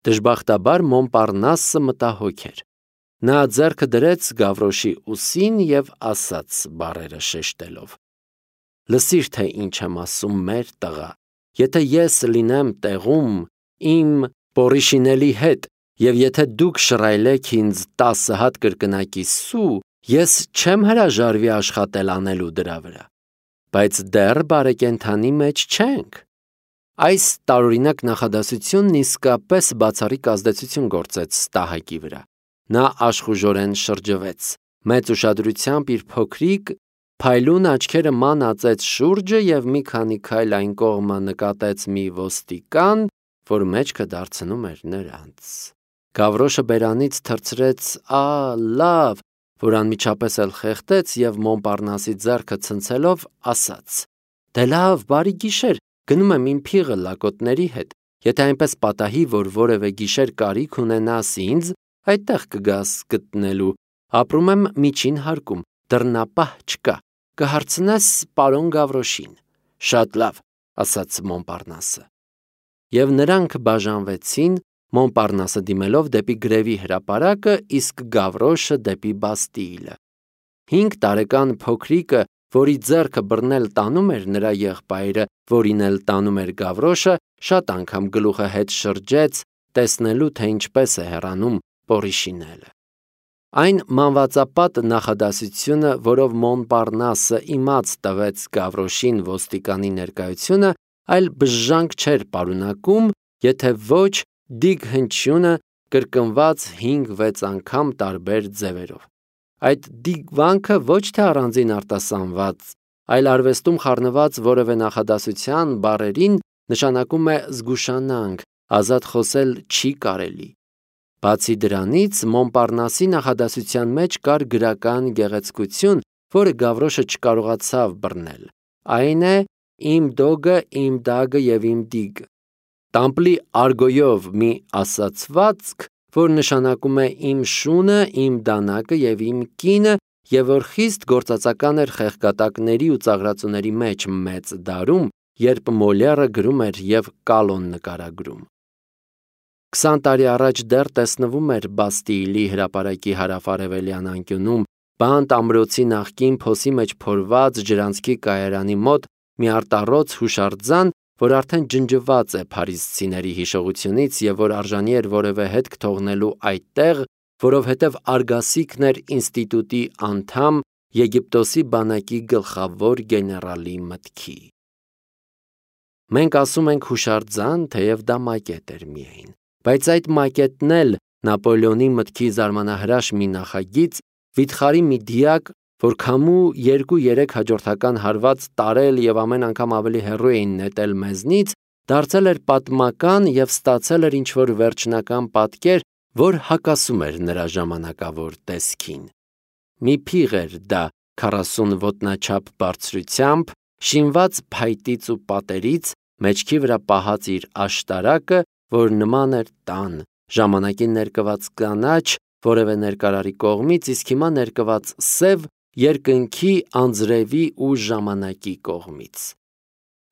Դժբախտաբար Մոնպարնասը մտահոգ էր։ Նա ձեռքը դրեց Գավրոշի ուսին և ասաց բառերը շեշտելով. «Լսիր, թե ինչ եմ ասում, մեր տղա, եթե ես լինեմ տեղում իմ Պորիշինելի հետ, և եթե դուք շռայլեք ինձ 10 հատ կրկնակի սու, ես չեմ հրաժարվի աշխատել անելու դրա վրա, բայց դեռ բարեկենդանի մեջ չենք»։ Այս տարօրինակ նախադասությունն իսկապես բացառիկ ազդեցություն գործեց Ստահակի վրա։ Նա աշխուժորեն շրջվեց, մեծ ուշադրությամբ իր փոքրիկ, փայլուն աչքերը ման ածեց շուրջը և մի քանի քայլ այն կողմը նկատեց մի ոստիկան, որ մեջքը դարձնում էր նրանց։ Գավրոշը բերանից թռցրեց լավ, որ անմիջապես էլ խեղդեց և Մոնպարնասի ձեռքը ցնցելով ասաց. «Դե լավ, բարի գիշեր, գնում եմ իմ փիղը լակոտների հետ, եթե այնպես պատահի, որ որևէ գիշեր կարիք ունենաս ինձ, այդտեղ կգաս գտնելու, ապրում եմ միջին հարկում, դռնապահ չկա, կհարցնես պարոն Գավրոշին»։ «Շատ լավ», ասաց Մոնպարնասը։ Եվ նրանք բաժանվեցին, Մոնպարնասը դիմելով դեպի գրևի հրապարակը, իսկ Գավրոշը դեպի Բաստիլը։ 5 տարեկան փոքրիկը, որի ձեռքը բռնել տանում էր նրա եղբայրը, որին էլ տանում էր Գավրոշը, շատ անգամ գլուխը հետ շրջեց, տեսնելու, թե ինչպես է հեռանում Պորիշինելը։ Այն մանվածապատ նախադասությունը, որով Մոնպարնասը իմաց տվեց Գավրոշին ոստիկանի ներկայությունը, այլ բժժանք չէր պարունակում, եթե ոչ դիգ հնչյունը կրկնված 5-6 անգամ տարբեր ձևերով։ Այդ դիգվանքը ոչ թե առանձին արտասանված, այլ արվեստում խառնված որևէ նախադասության բառերին նշանակում է զգուշանանք, ազատ խոսել չի կարելի։ Բացի դրանից, Մոնպարնասի նախադասության մեջ կար գրական գեղեցկություն, որը Գավրոշը չկարողացավ բռնել։ Այն է «իմ դոգը, իմ դագը և իմ դիգը»։ Տամպլի արգոյով մի ասացվածք, որ նշանակում է «իմ շունը, իմ դանակը և իմ կինը» և որ խիստ գործածական էր խեղգատակների ու ծաղրածուների մեջ մեծ դարում, երբ Մոլերը գրում էր և Կալոն նկարագրում։ 20 տարի առաջ դեռ տեսնվում էր Բաստիլի հրապարակի հարավ-արևելյան անկյունում Բանտ ամրոցի նախկին փոսի մեջ փորված ջրանցքի կայարանի մոտ մի արտառոց հուշարձան, որ արդեն ջնջված է փարիզցիների հիշողությունից և որ արժանի էր որևէ հետք թողնելու այդտեղ, որովհետև արգասիքն էր ինստիտուտի անդամ, Եգիպտոսի բանակի գլխավոր գեներալի մտքի։ Մենք ասում ենք հուշարձան, թեև դա մակետ էր միայն, բայց այդ մակետն էլ Նապոլեոնի մտքի զարմանահրաշ մի նախագիծ, վիթխարի մի դիակ, որ քամու 2-3 հաջորդական հարված տարել և ամեն անգամ ավելի հեռու էին նետել մեզնից, դարձել էր պատմական և ստացել էր ինչ-որ վերջնական պատկեր, որ հակասում էր նրա ժամանակավոր տեսքին։ Մի փիղ էր դա 40 ոտնաչափ բարձրությամբ, շինված փայտից ու պատերից, մեջքի վրա պահած իր աշտարակը, որ նման էր տան, ժամանակին ներկված կանաչ որևէ ներկարարի կողմից, իսկ հիմա ներկված սև երկնքի, անձրևի ու ժամանակի կողմից։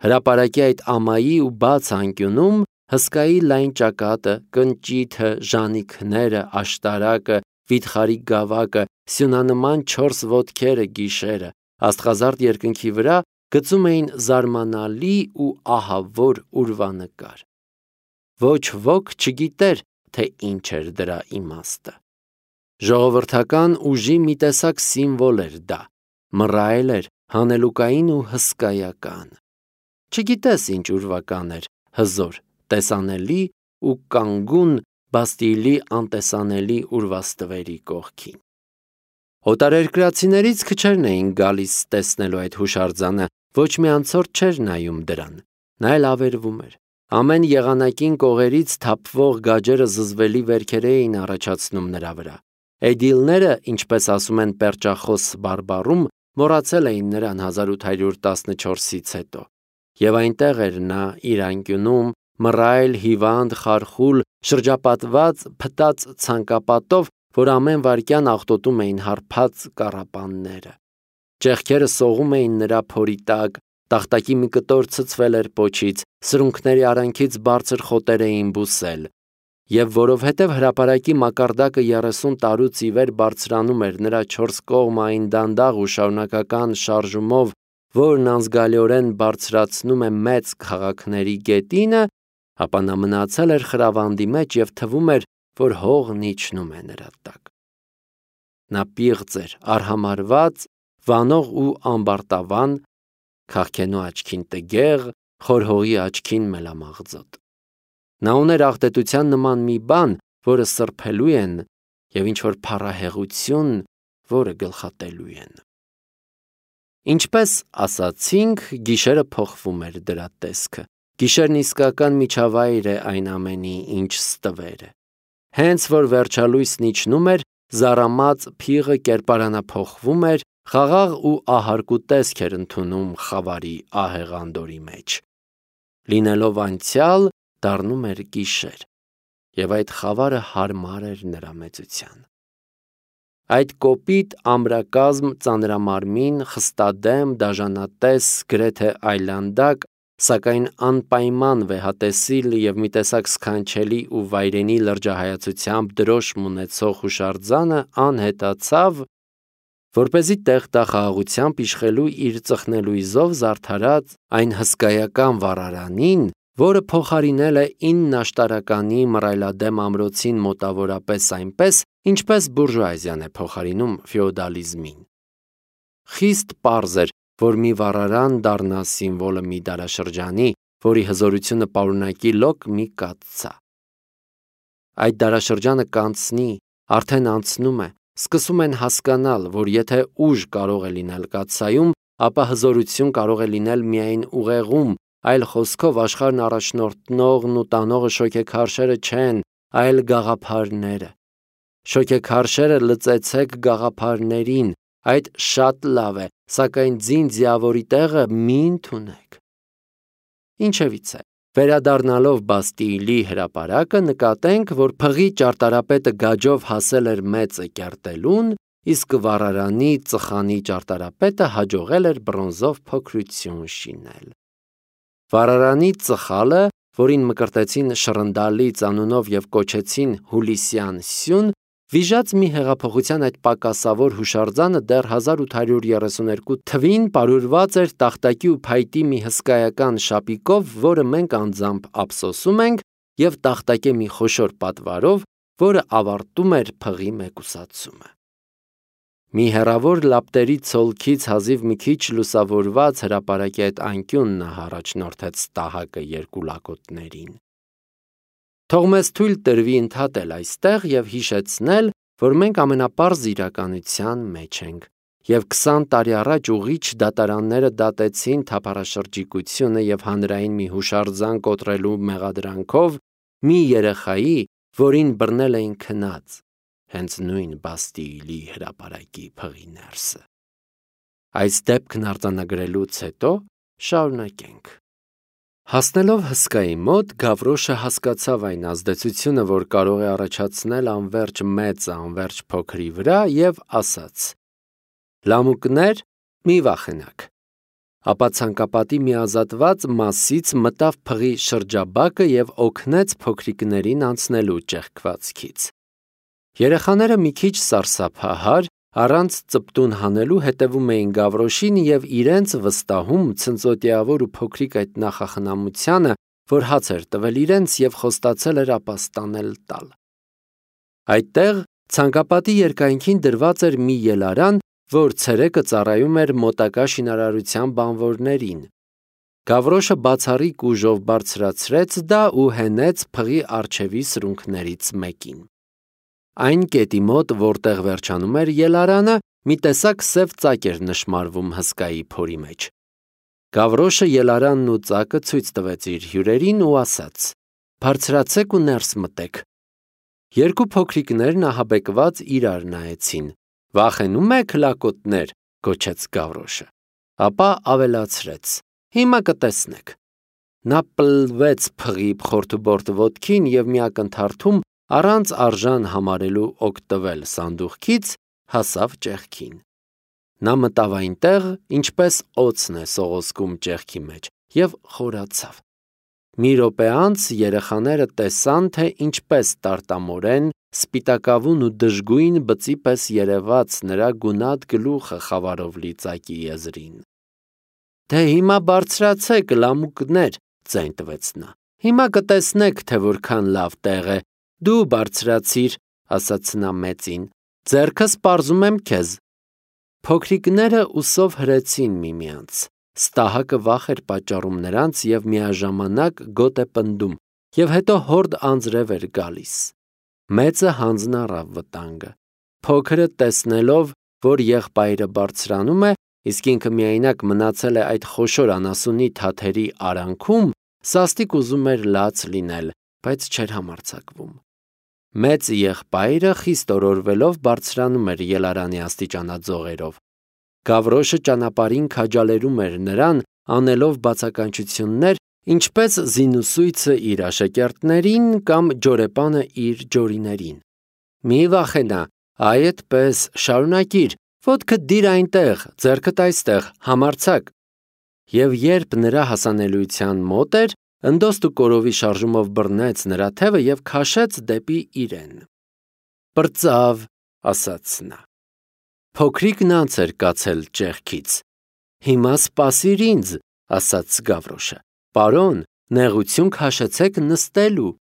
Հրապարակի այդ ամայի ու բաց անկյունում հսկայի լայն ճակատը, կնճիթը, ժանիքները, աշտարակը, վիթխարի գավակը, սյունանման 4 ոտքերը գիշերը, աստղազարդ երկնքի վրա գծում էին զարմանալի ու ահավոր ուրվանկար։ Ոչ ոք չգիտեր, թե ինչ էր դրա իմաստը։ Ժողովրդական ուժի մի տեսակ սիմվոլ էր դա, մռայլ էր, հանելուկային ու հսկայական։ Չգիտես ինչ ուրվական էր, հզոր, տեսանելի ու կանգուն Բաստիլի անտեսանելի ուրվաստվերի կողքին։ Օտարերկրացիներից քչերն էին գալիս տեսնելու այդ հուշարձանը, ոչ մի անցորդ չէր նայում դրան, նա էլ ավերվում էր։ Ամեն եղանակին կողերից թափվող գաջերը զզվելի վերքեր էին առաջացնում նրա վրա։ Էդիլները, ինչպես ասում են պերճախոս բարբառում, մոռացել էին նրան 1814-ից հետո։ Եվ այնտեղ էր նա իր անկյունում, մռայլ, հիվանդ, խարխուլ, շրջապատված փտած ցանկապատով, որ ամեն վայրկյան աղտոտում էին հարբած կառապանները։ Ճեղքերը սողում էին նրա փորի տակ, տախտակի մի կտոր ցցվել էր պոչից, սրունքների արանքից բարձր խոտեր էին բուսել։ Եվ որովհետև հրապարակի մակարդակը 30 տարուց ի վեր բարձրանում էր նրա 4 կողմային դանդաղ ու շարունակական շարժումով, որն անզգալիորեն բարձրացնում է մեծ քաղաքների գետինը, ապա նա մնացել էր խրավանդի մեջ և թվում էր, որ հողն իջնում է նրա տակ։ Նա պիղծ էր, արհամարհված, վանող ու ամբարտավան, քաղքենու աչքին տգեղ, խորհողի աչքին մելամաղձոտ։ Նա ուներ աղտետության նման մի բան, որը սրբելու են, և ինչ-որ փառահեղություն, որը գլխատելու են։ Ինչպես ասացինք, գիշերը փոխվում էր դրա տեսքը։ Գիշերն իսկական միջավայր է այն ամենի, ինչ ստվեր է։ Հենց որ վերջալույսն իջնում էր, զառամած փիղը կերպարանափոխվում էր, խաղաղ ու ահարկու տեսք էր ընդունում խավարի ահեղ մեջ։ Լինելով անցյալ, դառնում էր գիշեր, և այդ խավարը հարմար էր նրա մեծության։ Այդ կոպիտ ամրակազմ ծանրամարմին, խստադեմ, դաժանատես, գրեթե այլանդակ, սակայն անպայման վեհատեսիլ և մի տեսակ սքանչելի ու վայրենի լրջահայացությամբ դրոշմ ունեցող հուշարձանը անհետացավ, որպեսզի տեղ տա խաղաղությամբ իշխելու իր ծխնելույզով զարդարած այն հսկայական վառարանին, որը փոխարինել է 9 աշտարականի մռայլադեմ ամրոցին մոտավորապես այնպես, ինչպես բուրժուազիան է փոխարինում ֆեոդալիզմին։ Խիստ պարզ էր, որ մի վառարան դառնա սիմվոլը մի դարաշրջանի, որի հզորությունը պարունակի լոկ մի կաթսա։ Այդ դարաշրջանը կանցնի, արդեն անցնում է, սկսում են հասկանալ, որ եթե ուժ կարող է լինել կաթսայում, ապա հզորություն կարող է լինել միայն ուղեղում, այլ խոսքով աշխարհն առաջնորդնողն ու տանողը շոգեքարշերը չեն, այլ գաղափարները։ Շոգեքարշերը լծեցեք գաղափարներին, այդ շատ լավ է, սակայն ձին ձիավորի տեղը մի ընդունեք։ Ինչևիցե, վերադառնալով Բաստիլի հրապարակը, նկատենք, որ փղի ճարտարապետը գաջով հասել էր մեծը կերտելուն, իսկ վառարանի ծխանի ճարտարապետը հաջողել էր բրոնզով փոքրություն շինել։ Վառարանի ծխալը, որին մկրտեցին Շռնդալից անունով և կոչեցին Հուլիսյան սյուն, վիժած մի հեղափոխության այդ պակասավոր հուշարձանը դեռ 1832 թվին պարուրված էր տախտակի ու փայտի մի հսկայական շապիկով, որը մենք անձամբ ափսոսում ենք, և տախտակե մի խոշոր պատվարով, որը ավարտում էր փղի մեկուսացումը։ Մի հեռավոր լապտերի ցոլքից հազիվ մի քիչ լուսավորված հրապարակի այդ անկյունն առաջնորդեց տահակը երկու լակոտներին։ Թող մեզ թույլ տրվի ընդհատել այստեղ և հիշեցնել, որ մենք ամենապարզ իրականության մեջ ենք, և 20 տարի առաջ ուղիչ դատարանները դատեցին թափառաշրջիկությունը և հանրային մի հուշարձան կոտրելու մեղադրանքով մի երեխայի, որին բռնել էին քնած, հենց նույն Բաստիլի հրապարակի փղի ներսը։ Այս դեպքն արձանագրելուց հետո շարունակենք։ Հասնելով հսկայի մոտ, Գավրոշը հասկացավ այն ազդեցությունը, որ կարող է առաջացնել անվերջ մեծը անվերջ փոքրի վրա, և ասաց. «Լամուկներ, մի վախենաք»։ Ապա ցանկապատի մի ազատված մասից մտավ փղի շրջաբակը և օգնեց փոքրիկներին անցնելու ճեղքվածքից։ Երեխաները մի քիչ սարսափահար, առանց ծպտուն հանելու հետևում էին Գավրոշին և իրենց վստահում ցնծոտիավոր ու փոքրիկ այդ նախախնամությանը, որ հաց էր տվել իրենց և խոստացել էր ապաստանել տալ։ Այդտեղ ցանկապատի երկայնքին դրված էր մի ելարան, որ ցերեկը ծառայում էր մոտակա շինարարության բանվորներին։ Գավրոշը բացառիկ ուժով բարձրացրեց դա ու հենեց փղի առջևի սրունքներից մեկին։ Այն կետի մոտ, որտեղ վերջանում էր ելարանը, մի տեսակ սև ծակ էր նշմարվում հսկայի փորի մեջ։ Գավրոշը ելարանն ու ծակը ցույց տվեց իր հյուրերին ու ասաց. «Բարձրացեք ու ներս մտեք»։ Երկու փոքրիկներն ահաբեկված իրար նայեցին։ «Վախենու՞մ եք, լակոտներ», գոչեց Գավրոշը։ Ապա ավելացրեց. «Հիմա կտեսնեք»։ Նա պլվեց փղի խորթուբորտ ոտքին և մի ակնթարթում, առանց արժան համարելու օգտվել սանդուղքից, հասավ ճեղքին։ Նա մտավ այնտեղ, ինչպես օձն է սողոսկում ճեղքի մեջ, և խորացավ։ Մի րոպե անց երեխաները տեսան, թե ինչպես տարտամորեն, սպիտակավուն ու դժգույն բծի պես երևաց նրա գունատ գլուխը խավարով լի ծակի եզրին։ «Դե հիմա բարձրացեք, լամուկներ», ձայն տվեց նա։ «Հիմա կտեսնեք, թե որքան լավ տեղ է։ Դու բարձրացիր», ասաց նա մեծին, «ձեռքս պարզում եմ քեզ»։ Փոքրիկները ուսով հրեցին միմյանց։ Ստահակը վախ էր պատճառում նրանց և միաժամանակ գոտ է պնդում, և հետո հորդ անձրև էր գալիս։ Մեծը հանձն առավ վտանգը։ Փոքրը տեսնելով, որ եղբայրը բարձրանում է, իսկ ինքը միայնակ մնացել է այդ խոշոր անասունի թաթերի արանքում, սաստիկ ուզում էր լաց լինել, բայց չէր համարձակվում։ Մեծ եղբայրը խիստ օրորվելով բարձրանում էր ելարանի աստիճանաձողերով։ Գավրոշը ճանապարհին քաջալերում էր նրան, անելով բացականչություններ, ինչպես զինուսույցը իր աշակերտներին կամ ջորեպանը իր ջորիներին։ «Մի վախենա, այդպես, շարունակիր, ոտքդ դիր այնտեղ, ձեռքդ այստեղ, համարձակ»։ Եվ երբ նրա հասանելիության մոտ էր, ընդոստու կորովի շարժումով բռնեց նրա թևը և քաշեց դեպի իրեն։ «Պրծավ», ասաց նա։ Փոքրիկն անց էր կացել ճեղքից։ «Հիմա սպասիր ինձ», ասաց Գավրոշը։ «Պարոն, նեղություն քաշեցեք նստելու»։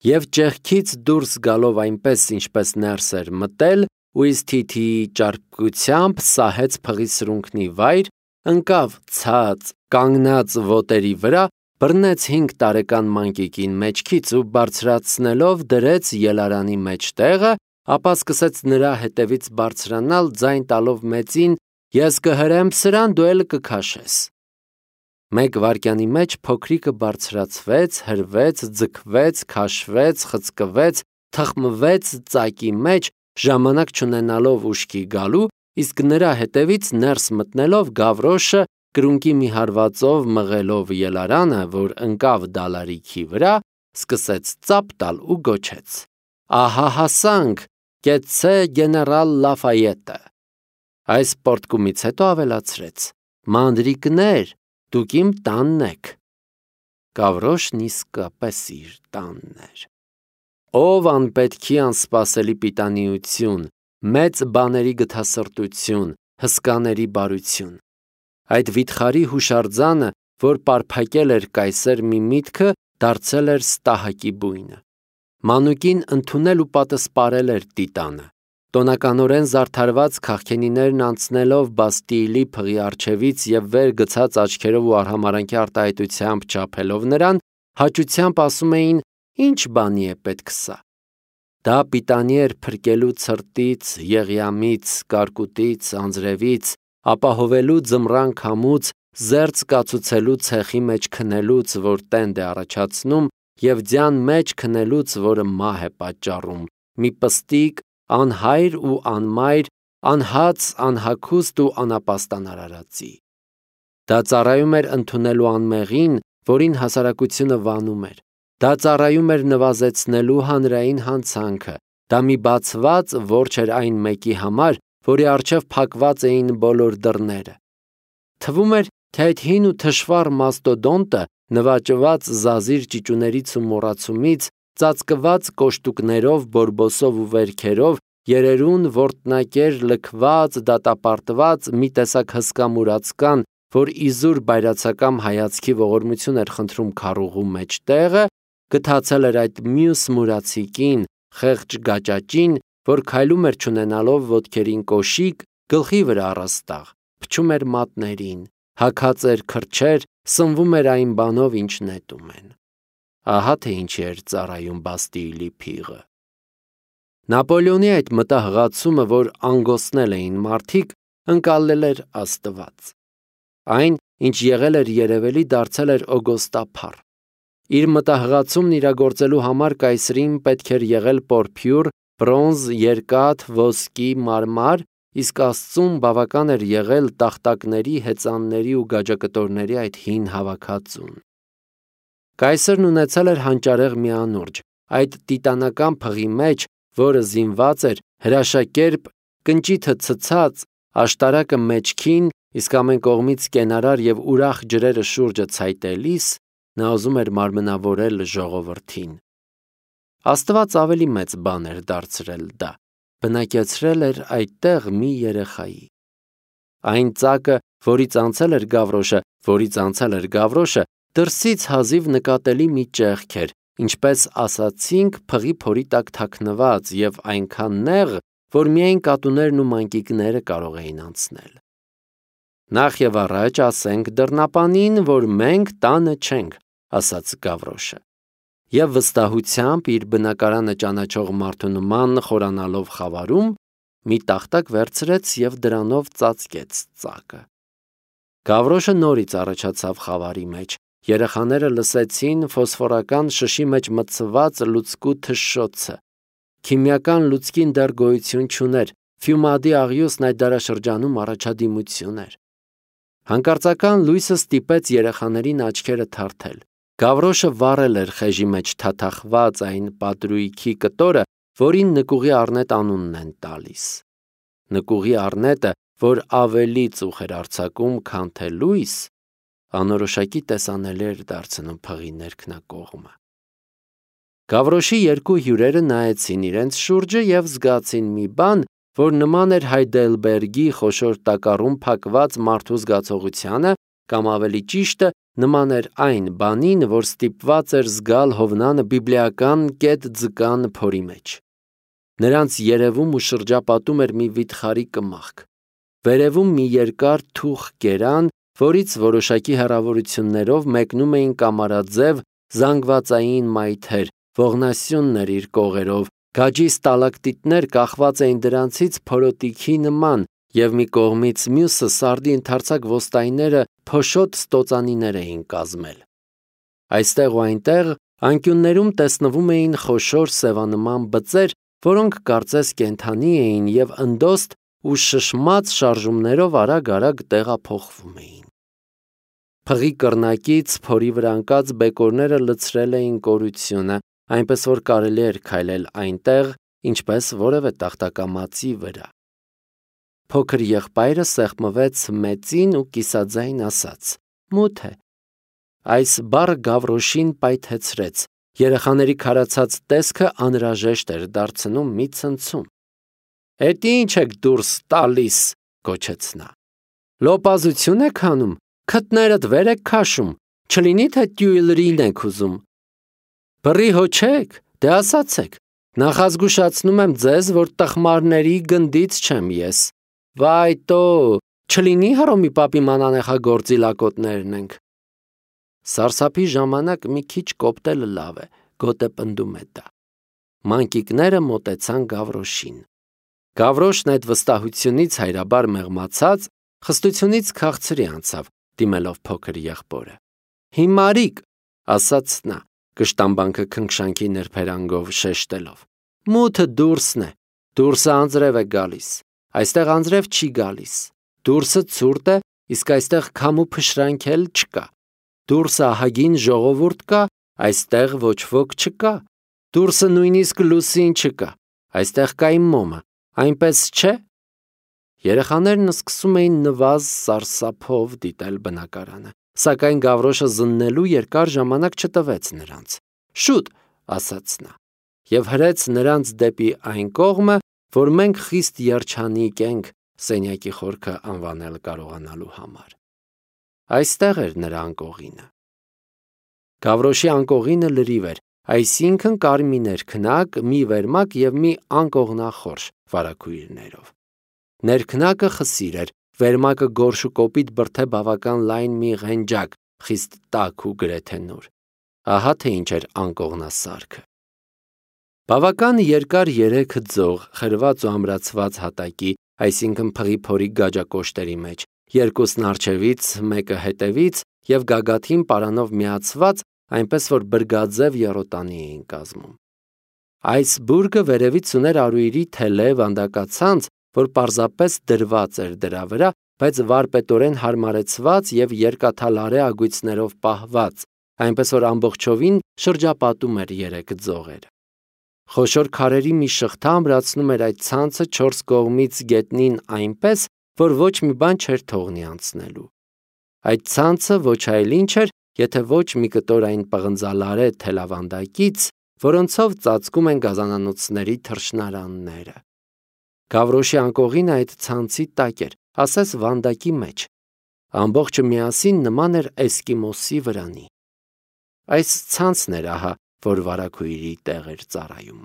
Եվ ճեղքից դուրս գալով այնպես, ինչպես ներս էր մտել, ու իսկ թիթիի ճարպկությամբ սահեց փղի սրունքնի վայր, ընկավ ցած, կանգնած ոտերի վրա, բռնեց 5 տարեկան մանկիկին մեջքից ու բարձրացնելով դրեց ելարանի մեջտեղը, ապա սկսեց նրա հետևից բարձրանալ, ձայն տալով մեծին. «Ես կհրեմ սրան, դու էլ կքաշես»։ 1 վայրկյանի մեջ փոքրիկը բարձրացվեց, հրվեց, ձգվեց, քաշվեց, խցկվեց, թխմվեց ծակի մեջ, ժամանակ չունենալով ուշքի գալու, իսկ նրա հետևից ներս մտնելով Գավրոշը կրունկի մի հարվածով մղելով ելարանը, որ ընկավ դալարիքի վրա, սկսեց ծափ տալ ու գոչեց. «Ահա հասանք, կեցցե գեներալ Լաֆայետը»։ Այս պոռթկումից հետո ավելացրեց. «Մանրիկներ, դուք իմ տանն եք»։ Գավրոշն իսկապես իր տանն էր։ Ով անպետքի անսպասելի պիտանիություն, մեծ բաների գթասրտություն, հսկաների բարություն։ Այդ վիթխարի հուշարձանը, որ պարփակել էր կայսեր մի միտքը, դարձել էր ստահակի բույնը։ Մանուկին ընդունել ու պատսպարել էր տիտանը։ Տոնականորեն զարդարված քաղքենիներն անցնելով Բաստիլի փղի առջևից և վեր գցած աչքերով ու արհամարհանքի արտահայտությամբ չափելով նրան, հաճությամբ ասում էին. «Ինչ բանի է պետք սա»։ Դա պիտանի էր փրկելու ցրտից, եղյամից, կարկուտից, անձրևից, ապահովելու ձմռան քամուց, զերծ կացուցելու ցեխի մեջ քնելուց, որ տենդ է առաջացնում, և ձյան մեջ քնելուց, որը մահ է պատճառում, մի պստիկ, անհայր ու անմայր, անհաց, անհագուստ ու անապաստան արարածի։ Դա ծառայում էր ընդունելու անմեղին, որին հասարակությունը վանում էր։ Դա ծառայում էր նվազեցնելու հանրային հանցանքը։ Դա մի բացված որջ էր այն մեկի համար, որի առջև փակված էին բոլոր դռները։ Թվում էր, թե այդ հին ու թշվառ մաստոդոնտը, նվաճված զազիր ճիճուներից ու մոռացումից, ծածկված կոշտուկներով, բորբոսով ու վերքերով, երերուն, որտնակեր, լքված, դատապարտված, մի տեսակ հսկա մուրացկան, որ իզուր բայրացակամ հայացքի ողորմություն էր խնդրում քառուղու մեջտեղը, գթացել էր այդ մյուս մուրացիկին, խեղճ գաճաճին, որ քայլում էր չունենալով ոտքերին կոշիկ, գլխի վրա առաստաղ, փչում էր մատներին, հագած էր քրչեր, սնվում էր այն բանով, ինչ նետում են։ Ահա թե ինչի էր ծառայում Բաստիլի փիղը։ Նապոլեոնի այդ մտահղացումը, որ անգոսնել էին մարդիկ, ընկալել էր Աստված։ Այն, ինչ եղել էր երևելի, դարձել էր օգոստափառ։ Իր մտահղացումն իրագործելու համար կայսրին պետք էր եղել պորփյուր, բրոնզ, երկաթ, ոսկի, մարմար, իսկ Աստծուն բավական էր եղել տախտակների, հեծանների ու գաջակտորների այդ հին հավաքածուն։ Կայսրն ունեցել էր հանճարեղ մի անուրջը, այդ տիտանական փղի մեջ, որը զինված էր, հրաշակերպ, կնճիթը ցցած, աշտարակը մեջքին, իսկ ամեն կողմից կենարար և ուրախ ջրերը շուրջը ցայտելիս, Նա ուզում էր մարմնավորել ժողովրդին։ Աստված ավելի մեծ բան էր դարձրել դա, բնակեցրել էր այդտեղ մի երեխայի։ Այն ծակը, որից անցել էր Գավրոշը, դրսից հազիվ նկատելի մի ճեղք էր, ինչպես ասացինք, փղի փորի տակ թաքնված և այնքան նեղ, որ միայն կատուներն ու մանկիկները կարող էին անցնել։ Նախ եւ առաջ ասենք դռնապանին, որ մենք տանը չենք, ասաց Գավրոշը, եւ վստահությամբ իր բնակարանը ճանաչող մարդու նման խորանալով խավարում, մի տախտակ վերցրեց եւ դրանով ծածկեց ծակը։ Գավրոշը նորից առաջացավ խավարի մեջ։ Երեխաները լսեցին ֆոսֆորական շշի մեջ մտցված լուցկու թշշոցը։ Քիմիական լուցկին դեռ գոյություն չուներ, ֆյումադի աղյուսն այդ դարաշրջանում առաջադիմություն էր։ Հանկարծական լույսը ստիպեց երեխաներին աչքերը թարթել։ Գավրոշը վառել էր խեժի մեջ թաթախված այն պատրույքի կտորը, որին նկուղի առնետ անունն են տալիս։ Նկուղի առնետը, որ ավելի ծուխ էր արձակում, քան թե լույս, անորոշակի տեսանելի էր դարձնում փղի ներքնակողմը։ Գավրոշի երկու հյուրերը նայեցին իրենց շուրջը և զգացին մի բան, որ նման էր Հայդելբերգի խոշոր տակառում փակված մարդու զգացողությանը, կամ ավելի ճիշտը, նման էր այն բանին, որ ստիպված էր զգալ Հովնանը բիբլիական կետ ձկան փորի մեջ։ Նրանց երևում ու շրջապատում էր մի վիթխարի կմախք։ Վերևում մի երկար թուխ կերան, որից որոշակի հեռավորություններով մեկնում էին կամարաձև զանգվածային մայթեր, ողնասյուններ իր կողերով, գաջի ստալակտիտներ կախված էին դրանցից փորոտիքի նման, և մի կողմից մյուսը սարդի ընդարձակ ոստայները փոշոտ ստոծանիներ էին կազմել։ Այստեղ ու այնտեղ անկյուններում տեսնվում էին խոշոր սևանման բծեր, որոնք կարծես կենդանի էին և ընդոստ ու շշմած շարժումներով արագ-արագ տեղափոխվում էին։ Փղի կռնակից փորի վրա ընկած բեկորները լցրել էին կորությունը, այնպես որ կարելի էր քայլել այնտեղ, ինչպես որևէ տախտակամածի վրա։ Փոքր եղբայրը սեղմվեց մեծին ու կիսաձայն ասաց. «Մութ է»։ Այս բառը Գավրոշին պայթեցրեց։ Երեխաների քարացած տեսքը անհրաժեշտ էր դարձնում մի ցնցում։ «Էդ ինչ եք դուրս տալիս», գոչեց նա։ «Լոպազություն եք անում, քթներդ վեր եք քաշում, չլինի թե տյուիլրին եք ուզում։ Բռի հո չեք, դե ասացեք, նախազգուշացնում եմ ձեզ, որ տխմարների գնդից չեմ ես։ Վայ տո, չլինի Հռոմի պապի մանանեխագործի լակոտներն ենք»։ Սարսափի ժամանակ մի քիչ կոպտելը լավ է, գոտեպնդում է դա։ Մանկիկները մոտեցան Գավրոշին։ Գավրոշն այդ վստահությունից հայրաբար մեղմացած, խստությունից քաղցրի անցավ, դիմելով փոքր եղբորը։ «Հիմարիկ», ասաց նա, կշտամբանքը քնքշանքի նրբերանգով շեշտելով։ «Մութը դուրսն է, դուրսը անձրև է գալիս, այստեղ անձրև չի գալիս, դուրսը ցուրտ է, իսկ այստեղ քամ ու փշրանք էլ չկա, դուրսը ահագին ժողովուրդ կա, այստեղ ոչ ոք չկա, դուրսը նույնիսկ լուսին չկա, այստեղ կա իմ մոմը, այնպես չէ»։ Երեխաներն սկսում էին նվազ սարսափով դիտել բնակարանը, սակայն Գավրոշը զննելու երկար ժամանակ չտվեց նրանց։ «Շուտ», ասաց նա, և հրեց նրանց դեպի այն կողմը, որ մենք խիստ երջանիկ ենք սենյակի խորքը անվանել կարողանալու համար։ Այստեղ էր նրա անկողինը։ Գավրոշի անկողինը լրիվ էր, այսինքն կարմիր քնակ, մի վերմակ և մի անկողնախորշ վարագույրներով։ Ներքնակը խսիր էր, վերմակը գորշ ու կոպիտ բրդե բավական լայն մի ղենջակ, խիստ տաք ու գրեթե նոր։ Ահա թե ինչ էր անկողնասարքը։ Բավական երկար երեք ձող, խրված ու ամրացված հատակի, այսինքն փղի փորի գաջակոշտերի մեջ, երկուսն առջևից, մեկը հետևից և գագաթին պարանով միացված, այնպես որ բրգաձև եռոտանի էին կազմում։ Այս բուրգը վերևից ուներ արուիրի թելե վանդակացանց, որ պարզապես դրված էր դրա վրա, բայց վարպետորեն հարմարեցված և երկաթալարե ագույցներով պահված, այնպես որ ամբողջովին շրջապատում էր երեք ձողերը։ Խոշոր քարերի մի շղթա ամրացնում էր այդ ցանցը չորս կողմից գետնին այնպես, որ ոչ մի բան չէր թողնի անցնելու։ Այդ ցանցը ոչ այլ ինչ էր, եթե ոչ մի կտորային պղնձալարե թելավանդակից, որոնցով ծածկում են գազանանոցների թռչնարանները։ Գավրոշի անկողին այդ ցանցի տակ էր, ասես վանդակի մեջ։ Ամբողջը միասին նման էր էսկիմոսի վրանի։ Այս ցանցն էր ահա, որ վարագույրի տեղ էր ծառայում։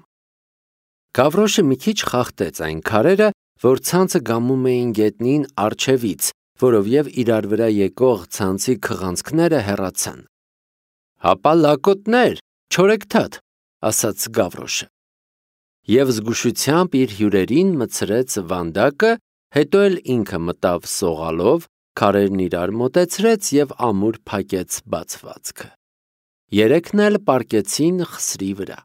Գավրոշը մի քիչ խախտեց այն քարերը, որ ցանցը գամում էին գետնին առջևից, որովև իրար վրա եկող ցանցի քղանցքները հեռացան։ «Հապա լակոտներ, չորեքթաթ», ասաց Գավրոշը։ Եվ զգուշությամբ իր հյուրերին մտցրեց վանդակը, հետո էլ ինքը մտավ սողալով, քարերն իրար մոտեցրեց և ամուր փակեց բացվածքը։ Երեքն էլ պառկեցին խսրի վրա։